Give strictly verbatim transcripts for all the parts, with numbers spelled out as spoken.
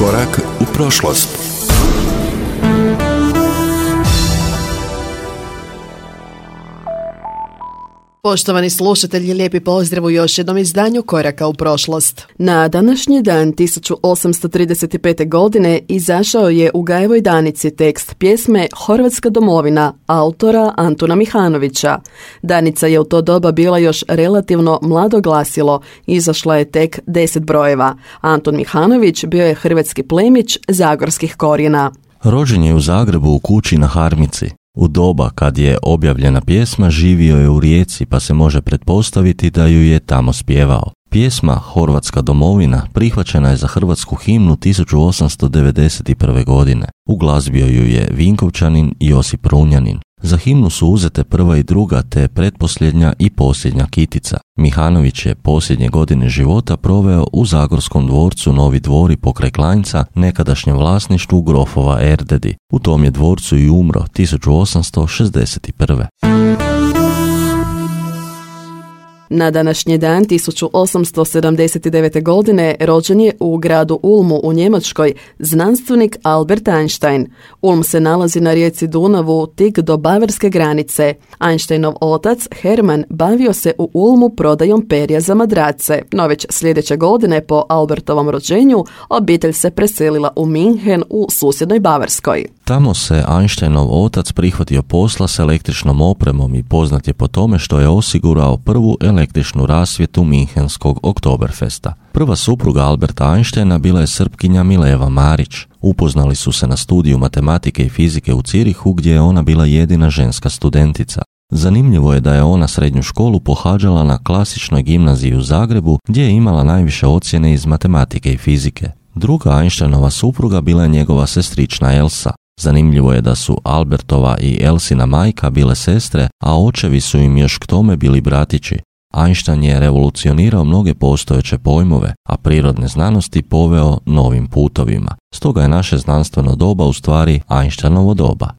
Korak u prošlost. Poštovani slušatelji, lijepi pozdrav u još jednom izdanju Koraka u prošlost. Na današnji dan tisuću osamsto trideset pete. godine izašao je u Gajevoj Danici tekst pjesme Horvatska domovina autora Antuna Mihanovića. Danica je u to doba bila još relativno mlado glasilo, izašla je tek deset brojeva. Antun Mihanović bio je hrvatski plemić zagorskih korijena. Rođen je u Zagrebu u kući na Harmici. U doba kad je objavljena pjesma živio je u Rijeci, pa se može pretpostaviti da ju je tamo spjevao. Pjesma Horvatska domovina prihvaćena je za hrvatsku himnu tisuću osamsto devedeset prve. godine. Uglazbio ju je Vinkovčanin Josip Runjanin. Za himnu su uzete prva i druga te pretposljednja i posljednja kitica. Mihanović je posljednje godine života proveo u zagorskom dvorcu Novi Dvori pokraj Klanjca, nekadašnjem vlasništvu grofova Erdedi. U tom je dvorcu i umro tisuću osamsto šezdeset prve. Na današnji dan tisuću osamsto sedamdeset devete. godine rođen je u gradu Ulmu u Njemačkoj znanstvenik Albert Einstein. Ulm se nalazi na rijeci Dunavu tik do bavarske granice. Einsteinov otac Hermann bavio se u Ulmu prodajom perja za madrace, no već sljedeće godine po Albertovom rođenju obitelj se preselila u Minhen u susjednoj Bavarskoj. Tamo se Einsteinov otac prihvatio posla s električnom opremom i poznat je po tome što je osigurao prvu električnu rasvjetu Minhenskog Oktoberfesta. Prva supruga Alberta Einsteina bila je Srpkinja Mileva Marić. Upoznali su se na studiju matematike i fizike u Cirihu, gdje je ona bila jedina ženska studentica. Zanimljivo je da je ona srednju školu pohađala na klasičnoj gimnaziji u Zagrebu, gdje je imala najviše ocjene iz matematike i fizike. Druga Einsteinova supruga bila je njegova sestrična Elsa. Zanimljivo je da su Albertova i Elsina majka bile sestre, a očevi su im još k tome bili bratići. Einstein je revolucionirao mnoge postojeće pojmove, a prirodne znanosti poveo novim putovima. Stoga je naše znanstveno doba u stvari Einsteinovo doba.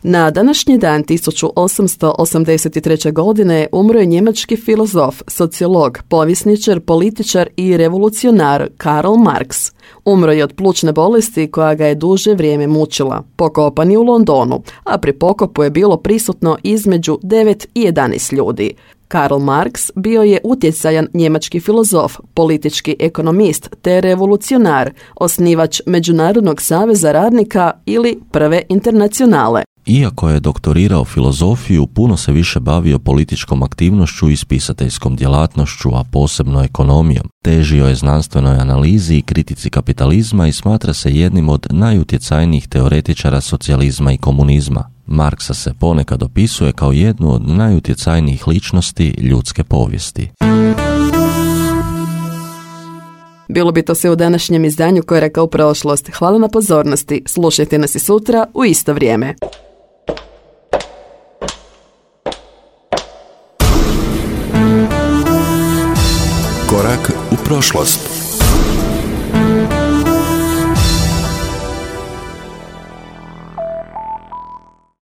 Na današnji dan tisuću osamsto osamdeset treće. godine umro je njemački filozof, sociolog, povjesničar, političar i revolucionar Karl Marx. Umro je od plućne bolesti koja ga je duže vrijeme mučila. Pokopan je u Londonu, a pri pokopu je bilo prisutno između devet i jedanaest ljudi. Karl Marx bio je utjecajan njemački filozof, politički ekonomist te revolucionar, osnivač Međunarodnog saveza radnika ili Prve internacionale. Iako je doktorirao filozofiju, puno se više bavio političkom aktivnošću i spisateljskom djelatnošću, a posebno ekonomijom. Težio je znanstvenoj analizi i kritici kapitalizma i smatra se jednim od najutjecajnijih teoretičara socijalizma i komunizma. Marksa se ponekad opisuje kao jednu od najutjecajnijih ličnosti ljudske povijesti. Bilo bi to sve u današnjem izdanju Koraka u prošlost. Hvala na pozornosti. Slušajte nas i sutra u isto vrijeme. Korak u prošlost.